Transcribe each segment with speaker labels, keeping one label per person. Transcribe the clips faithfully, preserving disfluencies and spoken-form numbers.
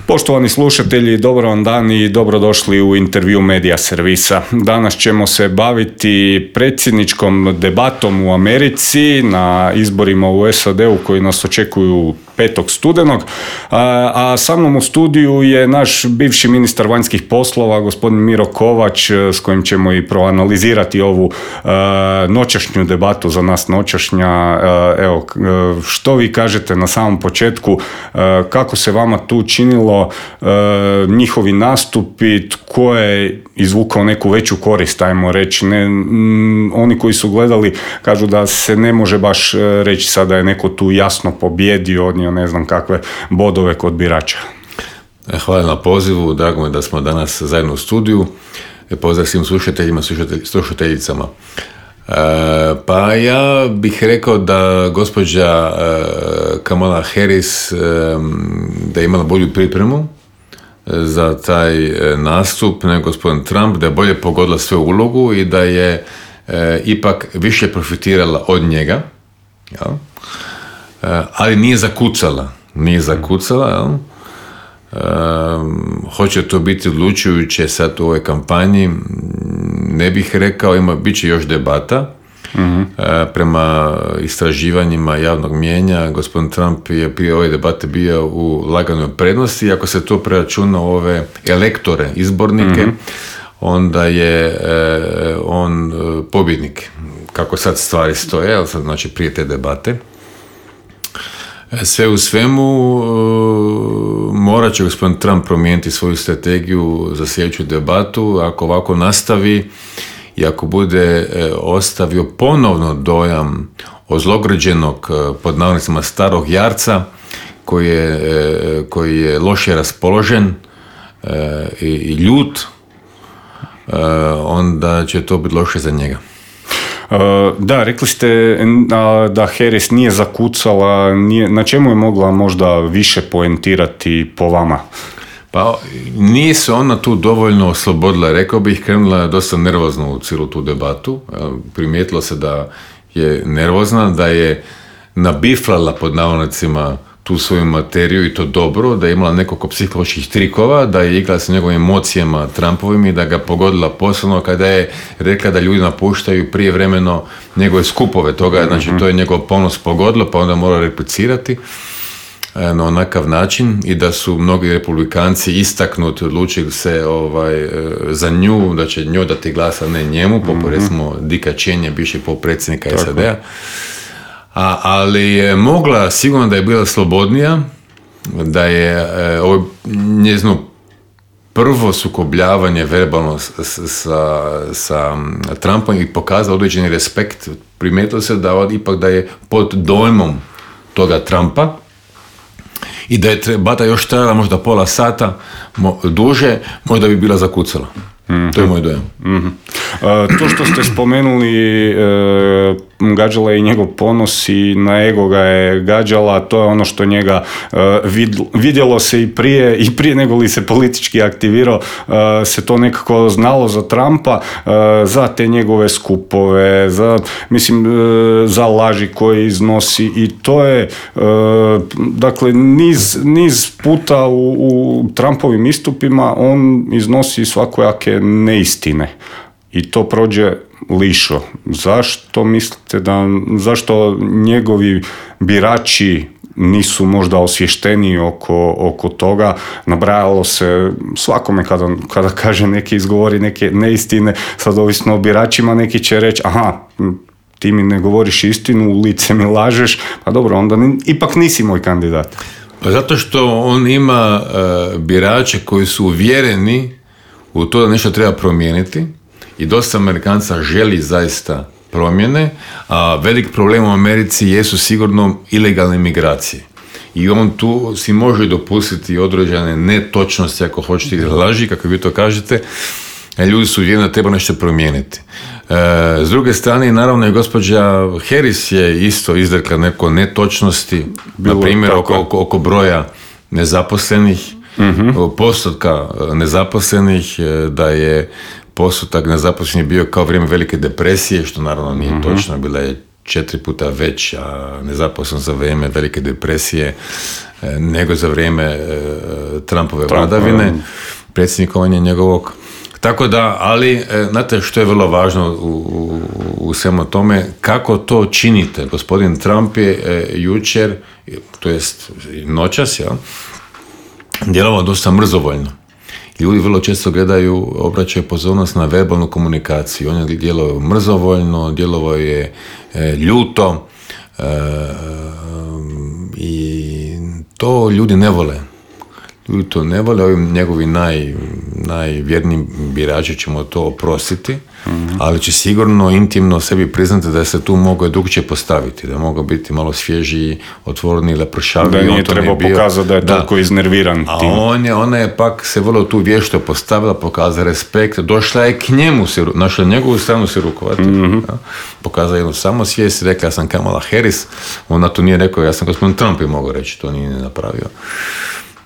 Speaker 1: Poštovani slušatelji, dobar vam dan i dobrodošli u intervju Medija servisa. Danas ćemo se baviti predsjedničkom debatom u Americi na izborima u S A D-u koji nas očekuju petog studenog, a, a sa mnom u studiju je naš bivši ministar vanjskih poslova, gospodin Miro Kovač, s kojim ćemo i proanalizirati ovu a, noćašnju debatu, za nas noćašnja. A, evo, što vi kažete na samom početku, a, kako se vama tu činilo a, njihovi nastupi, tko je izvukao neku veću korist, ajmo reći. Ne, m, oni koji su gledali kažu da se ne može baš reći sada je neko tu jasno pobjedio, odnio ne znam kakve bodove kod birača.
Speaker 2: Hvala na pozivu, drago mi da smo danas zajedno u studiju. Pozdrav svim slušateljima, slušatelj, slušateljicama. E, pa ja bih rekao da gospođa e, Kamala Harris e, da je imala bolju pripremu za taj nastup nego gospodin Trump, da je bolje pogodila svoju ulogu i da je e, ipak više profitirala od njega, jel? E, ali nije zakucala, nije zakucala, jel? E, hoće to biti odlučujuće sad u ovoj kampanji, ne bih rekao, ima, bit će još debata. Uh-huh. E, prema istraživanjima javnog mijenja, gospodin Trump je prije ove debate bio u laganoj prednosti. Ako se to preračuna ove elektore, izbornike, uh-huh. onda je e, on pobjednik. Kako sad stvari stoje, ali sad znači prije te debate. Sve u svemu, morat će gospodin Trump promijeniti svoju strategiju za sljedeću debatu. Ako ovako nastavi i ako bude e, ostavio ponovno dojam ozlogređenog, pod navodnicima starog jarca, koji je, e, koji je loše raspoložen e, i, i ljut, e, onda će to biti loše za njega.
Speaker 1: Da, rekli ste da Harris nije zakucala, nije, na čemu je mogla možda više poentirati po vama?
Speaker 2: Pa nije se ona tu dovoljno oslobodila, rekao bih, krenula dosta nervozno u cijelu tu debatu, primijetilo se da je nervozna, da je nabiflala pod navodnicima tu svoju materiju i to dobro, da je imala nekoliko psiholoških trikova, da je igrala sa njegovim emocijama Trumpovim i da ga pogodila posebno kada je rekla da ljudi napuštaju prijevremeno njegove skupove toga, znači to je njegov ponos pogodilo, pa onda mora replicirati na onakav način i da su mnogi republikanci istaknuti, odlučili se ovaj, za nju, da će njoj dati glas, a ne njemu, poput mm-hmm. recimo Dicka Cheney, bivšeg potpredsjednika S A D-a. A, ali je mogla, sigurno da je bila slobodnija, da je e, ovo njezino prvo sukobljavanje verbalno sa, sa, sa Trumpom i pokazao određeni respekt. Primijetilo se da ipak da je pod dojmom toga Trumpa i da je debata još trajala možda pola sata mo, duže, možda bi bila zakucala. Mm-hmm. To je moj dojam.
Speaker 1: Mm-hmm. Uh, to što ste spomenuli, uh, gađala je i njegov ponos i na ego ga je gađala, to je ono što njega uh, vid, vidjelo se i prije, i prije nego li se politički aktivirao, uh, se to nekako znalo za Trumpa, uh, za te njegove skupove, za, mislim, uh, za laži koje iznosi i to je, uh, dakle, niz, niz puta u, u Trumpovim istupima on iznosi svakojake neistine i to prođe lišo. Zašto mislite da, zašto njegovi birači nisu možda osvješteniji oko, oko toga? Nabrajalo se svakome kada, kada kaže neki izgovori neke neistine, sad ovisno o biračima, neki će reći aha, ti mi ne govoriš istinu, u lice mi lažeš, pa dobro, onda ni, ipak nisi moj kandidat.
Speaker 2: Pa zato što on ima uh, birače koji su uvjereni u to da nešto treba promijeniti i dosta Amerikanca želi zaista promjene, a velik problem u Americi jesu sigurno ilegalne migracije. I on tu si može dopustiti određene netočnosti, ako hoćete, ili laži, kako vi to kažete, ljudi su uvjereni da treba nešto promijeniti. E, s druge strane, naravno i gospođa Harris je isto izrekla neko netočnosti, bilo, na primjer oko, oko, oko broja nezaposlenih, mm-hmm. postotka nezaposlenih, da je postotak nezaposlenih bio kao vrijeme velike depresije, što naravno nije mm-hmm. točno, bila je četiri puta veća nezaposlenost za vrijeme Velike depresije nego za vrijeme Trumpove vladavine, predsjednikovanja njegovog. Tako da, ali, znate što je vrlo važno u, u, u svemu tome, kako to činite. Gospodin Trump je e, jučer, to jest noćas, ja, djelovao dosta mrzovoljno. Ljudi vrlo često gledaju, obraćaju pozornost na verbalnu komunikaciju. On je djelovao mrzovoljno, djelovao je e, ljuto e, i to ljudi ne vole. Ljudi to ne vole, ovi njegovi naj, najvjerniji birači ćemo to oprostiti, mm-hmm. ali će sigurno intimno sebi priznati da se tu mogao drugčije postaviti, da mogao biti malo svježiji, otvoreni, lepršavi.
Speaker 1: Da nije trebao pokazati da je toliko iznerviran tim.
Speaker 2: A on je, ona je pak se vrlo tu vješto postavila, pokazala respekt, došla je k njemu, se, našla njegovu stranu se rukovati, mm-hmm. pokazala jednu samosvijest, rekla ja sam Kamala Harris, ona to nije rekao, ja sam gospodin Trump je mogao reći, to nije napravio.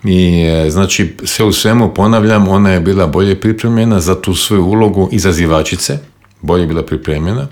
Speaker 2: I znači sve u svemu ponavljam, ona je bila bolje pripremljena za tu svoju ulogu izazivačice, bolje je bila pripremljena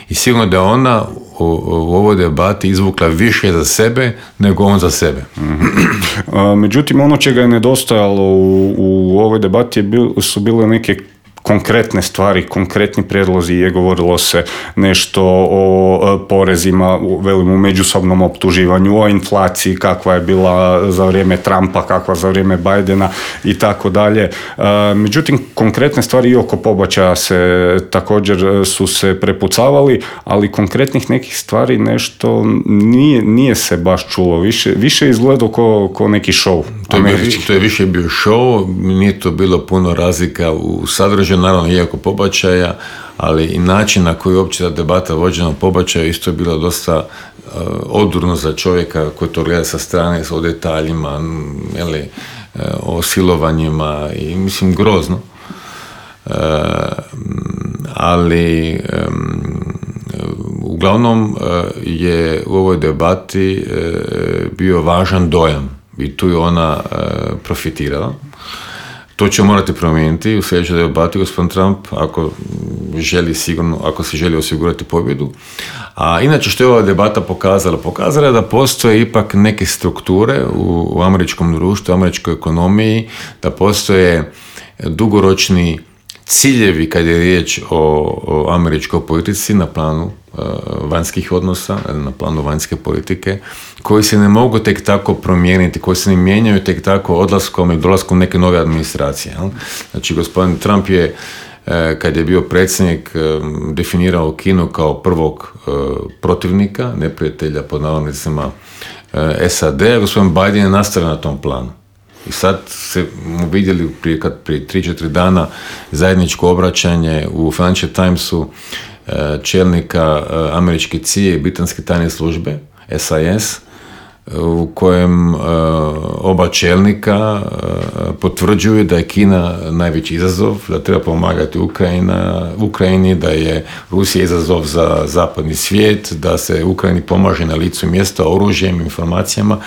Speaker 2: i sigurno da ona u, u ovoj debati izvukla više za sebe nego on za sebe.
Speaker 1: Mm-hmm. Međutim, ono čega je nedostajalo u, u ovoj debati je bil, su bile neke konkretne stvari, konkretni prijedlozi, je govorilo se nešto o porezima, velim u međusobnom optuživanju, o inflaciji kakva je bila za vrijeme Trumpa, kakva za vrijeme Bidena i tako dalje. Međutim, konkretne stvari i oko pobačaja se također su se prepucavali, ali konkretnih nekih stvari nešto nije, nije se baš čulo. Više, više izgledao ko, ko neki show.
Speaker 2: To je, to je više bio show, nije to bilo puno razlika u sadržaju, naravno iako pobačaja, ali i način na koji uopće ta debata vođena o pobačaju isto je bilo dosta uh, odurno za čovjeka koji to gleda sa strane, o detaljima, jeli, uh, o silovanjima i mislim grozno. Uh, ali um, uglavnom uh, je u ovoj debati uh, bio važan dojam i tu je ona uh, profitirala. To će morati promijeniti u sljedećoj debati gospodin Trump ako želi sigurno, ako se želi osigurati pobjedu. A inače što je ova debata pokazala? Pokazala je da postoje ipak neke strukture u, u američkom društvu, u američkoj ekonomiji, da postoje dugoročni ciljevi kad je riječ o, o američkoj politici na planu uh, vanjskih odnosa, na planu vanjske politike, koji se ne mogu tek tako promijeniti, koji se ne mijenjaju tek tako odlaskom i dolaskom neke nove administracije. Jel? Znači, gospodin Trump je, uh, kad je bio predsjednik, um, definirao Kinu kao prvog uh, protivnika, neprijatelja pod navodnicima uh, S A D, gospodin Biden je nastavio na tom planu. I sad se mu vidjeli prije, kad, prije tri četiri dana zajedničko obraćanje u Financial Timesu čelnika američke C I A i britanske tajne službe, S I S, u kojem oba čelnika potvrđuju da je Kina najveći izazov, da treba pomagati Ukrajina, Ukrajini, da je Rusija izazov za zapadni svijet, da se Ukrajini pomaže na licu mjesta oružjem, informacijama.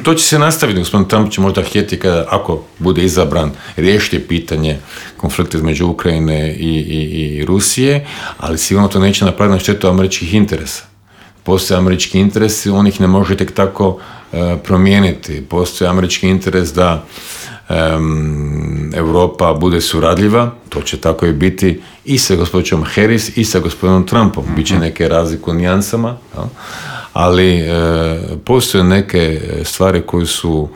Speaker 2: To će se nastaviti, gospodin Trump će možda htjeti kada, ako bude izabran, riješiti pitanje konflikta između Ukrajine i, i, i Rusije, ali sigurno to neće napraviti na štetu američkih interesa. Postoje američki interesi, on ih ne može tek tako uh, promijeniti. Postoji američki interes da um, Europa bude suradljiva, to će tako i biti i sa gospođom Harris i sa gospodinom Trumpom. Mm-hmm. Biće neke razlike u nijansama, ja? ali uh, postoje neke stvari koje su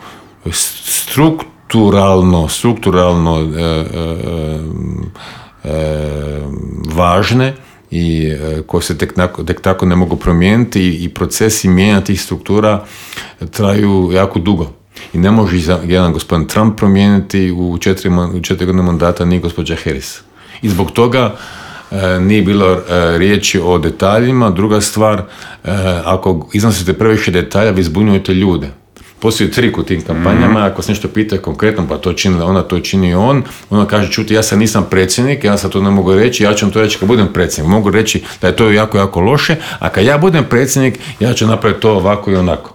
Speaker 2: strukturalno, strukturalno uh, uh, uh, važne i koje se tek, tek tako ne mogu promijeniti i, i procesi mijenjanja tih struktura traju jako dugo. I ne može jedan gospodin Trump promijeniti u četiri, u četiri godine mandata ni gospođa Harris. I zbog toga e, nije bilo e, riječi o detaljima. Druga stvar, e, ako iznosite previše detalja, vi zbunjujete ljude. Postoji trik u tim kampanjama, ako se nešto pita konkretno, pa to čini ona, to čini on, ona kaže, čuti, ja sam nisam predsjednik, ja sad to ne mogu reći, ja ću vam to reći kad budem predsjednik. Mogu reći da je to jako, jako loše, a kad ja budem predsjednik, ja ću napraviti to ovako i onako.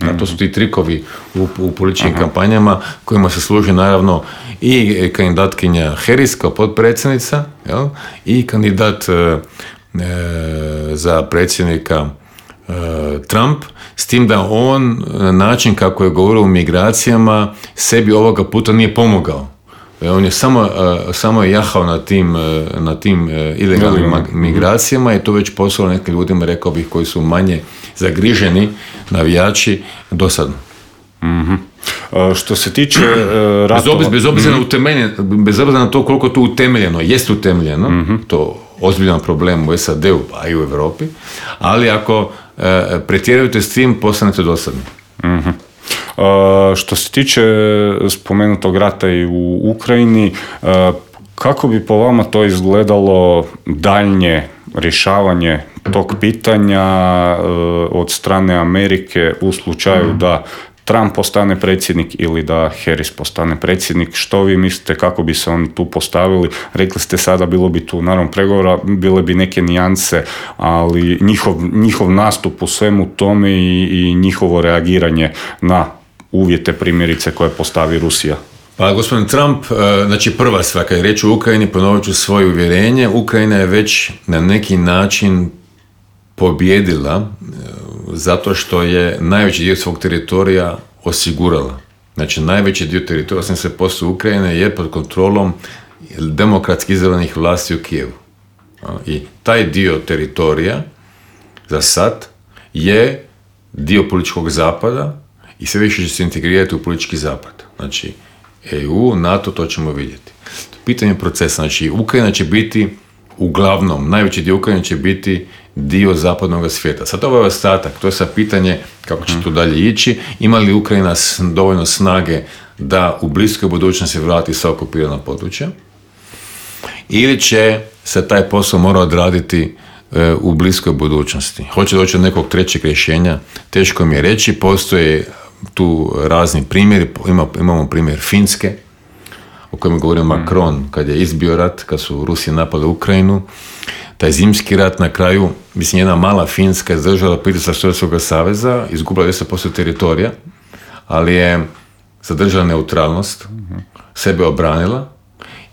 Speaker 2: Mm. A to su ti trikovi u, u političkim Aha. kampanjama kojima se služi naravno i kandidatkinja Harris kao potpredsjednica, jel? I kandidat za predsjednika e, Trump, s tim da on na način kako je govorio o migracijama sebi ovoga puta nije pomogao. On je samo, samo je jahao na tim, na tim ilegalnim migracijama i to već poslalo nekim ljudima, rekao bih, koji su manje zagriženi navijači dosadno.
Speaker 1: Mm-hmm. Što se tiče uh, ratova...
Speaker 2: Bez, bez, obzira mm-hmm. bez obzira na to koliko to utemeljeno, jest utemeljeno, mm-hmm. to ozbiljan problem u S A D-u, a i u Europi, ali ako uh, pretjerujete s tim, postanete dosadni.
Speaker 1: Mm-hmm. Uh, što se tiče spomenutog rata i u Ukrajini, uh, kako bi po vama to izgledalo daljnje rješavanje tog pitanja uh, od strane Amerike u slučaju mm. da Trump postane predsjednik ili da Harris postane predsjednik? Što vi mislite kako bi se oni tu postavili? Rekli ste sada, bilo bi tu naravno pregovora, bile bi neke nijanse, ali njihov, njihov nastup u svemu tome i, i njihovo reagiranje na uvjete primjerice koje postavi Rusija.
Speaker 2: Pa gospodin Trump, znači prva stvar, kad je reč o Ukrajini, ponovit ću svoje uvjerenje, Ukrajina je već na neki način pobjedila zato što je najveći dio svog teritorija osigurala. Znači najveći dio teritorija, osamdeset posto Ukrajine, je pod kontrolom demokratski izabranih vlasti u Kijevu. I taj dio teritorija za sad je dio političkog zapada i sve više će se integrirati u politički zapad. Znači, E U, NATO, to ćemo vidjeti. Pitanje procesa, znači, Ukrajina će biti, uglavnom, najveći dio Ukrajine će biti dio zapadnog svijeta. Sad ovo je ostatak, to je sad pitanje kako će to dalje ići. Ima li Ukrajina dovoljno snage da u bliskoj budućnosti vrati sva okupirana područja? Ili će se taj posao mora odraditi e, u bliskoj budućnosti? Hoće doći od nekog trećeg rješenja? Teško mi je reći, postoje tu razni primjeri, Ima, imamo primjer Finske, o kojem je govorio Macron kad je izbio rat, kad su Rusi napali Ukrajinu. Taj zimski rat na kraju, mislim, jedna mala Finska je zadržala pritisak Sovjetskog saveza, izgubila deset posto teritorija, ali je zadržala neutralnost, sebe obranila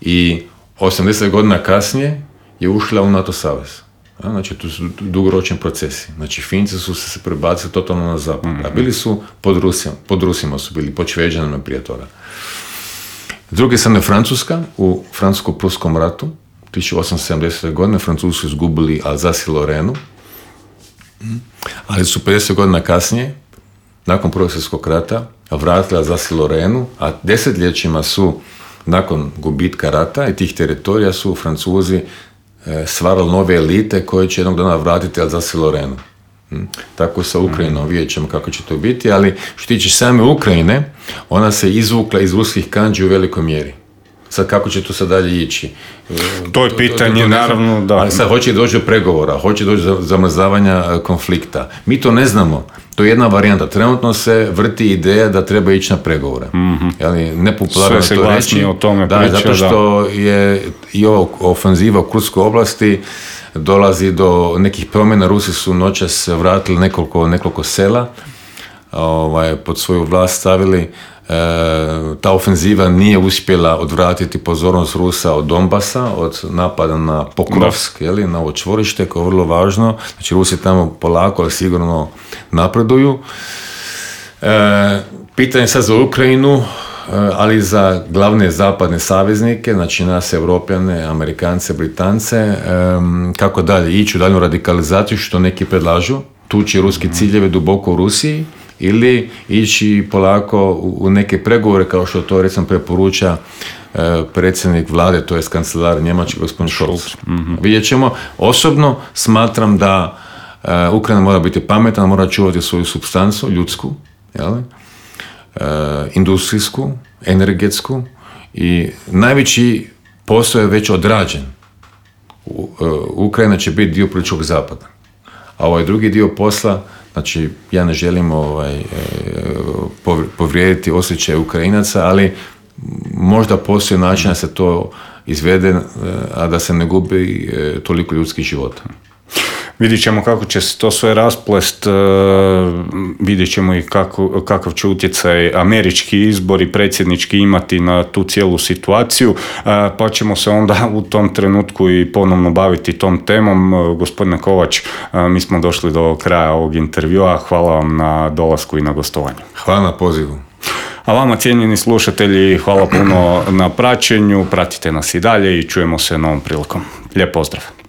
Speaker 2: i osamdeset godina kasnije je ušla u NATO savez. Znači, to su dugoročni procesi. Znači, Finci su se prebacili totalno na zapad. A bili su pod Rusijom, pod Rusima su bili, pod Šveđanima prije toga. S druge strane, Francuska, u francusko-pruskom ratu, tisuću osamsto sedamdesete. godine, Francuzi su izgubili Alsace i Lorenu, ali su pedeset godina kasnije, nakon Prvog svjetskog rata, vratili Alsace i Lorenu, a desetljećima su, nakon gubitka rata i tih teritorija, su Francuzi stvarali nove elite koje će jednog dana vratiti Alsace i Lorenu. Tako i sa Ukrajinom, vidjet ćemo kako će to biti, ali što tiče same Ukrajine, ona se izvukla iz ruskih kandži u velikoj mjeri. Sad kako će to sad dalje ići?
Speaker 1: To je pitanje, to, to, to naravno, da.
Speaker 2: Ali sad hoće doći do pregovora, hoće doći do zamrzavanja konflikta. Mi to ne znamo. To je jedna varijanta. Trenutno se vrti ideja da treba ići na pregovore. Mm-hmm. Jeli, nepopularno
Speaker 1: sve se
Speaker 2: to reći.
Speaker 1: O tome
Speaker 2: da,
Speaker 1: priča,
Speaker 2: zato što da. je i ova ofenziva u Kurskoj oblasti dolazi do nekih promjena. Rusi su noćas vratili nekoliko, nekoliko sela, ovaj, pod svoju vlast stavili. E, ta ofenziva nije uspjela odvratiti pozornost Rusa od Donbasa, od napada na Pokrovsk, jeli, na ovo čvorište koje je vrlo važno. Znači, Rusi tamo polako, ali sigurno napreduju. E, pitanje sad za Ukrajinu, ali za glavne zapadne saveznike, znači nas, Europljane, Amerikance, Britance, kako dalje ići u daljnju radikalizaciju, što neki predlažu, tući ruski ciljeve duboko u Rusiji, ili ići polako u neke pregovore, kao što to recimo preporuča predsjednik vlade, to je kancelar njemački gospodin Scholz. Mm-hmm. Vidjet ćemo. Osobno smatram da Ukrajina mora biti pametna, mora čuvati svoju supstancu, ljudsku, jel? Uh, industrijsku, energetsku, i najveći posao je već odrađen. U, uh, Ukrajina će biti dio političkog zapada. A ovaj drugi dio posla, znači ja ne želim ovaj, uh, povrijediti osjećaje Ukrajinaca, ali možda postoji način da se to izvede, uh, a da se ne gubi uh, toliko ljudskih života.
Speaker 1: Vidjet ćemo kako će se to sve rasplest, vidjet ćemo i kako, kakav će utjecaj američki izbori, predsjednički imati na tu cijelu situaciju, pa ćemo se onda u tom trenutku i ponovno baviti tom temom. Gospodine Kovač, mi smo došli do kraja ovog intervjua. Hvala vam na dolasku i na gostovanju.
Speaker 2: Hvala na pozivu.
Speaker 1: A vama, cijenjeni slušatelji, hvala puno na praćenju. Pratite nas i dalje i čujemo se novom prilikom. Lijep pozdrav.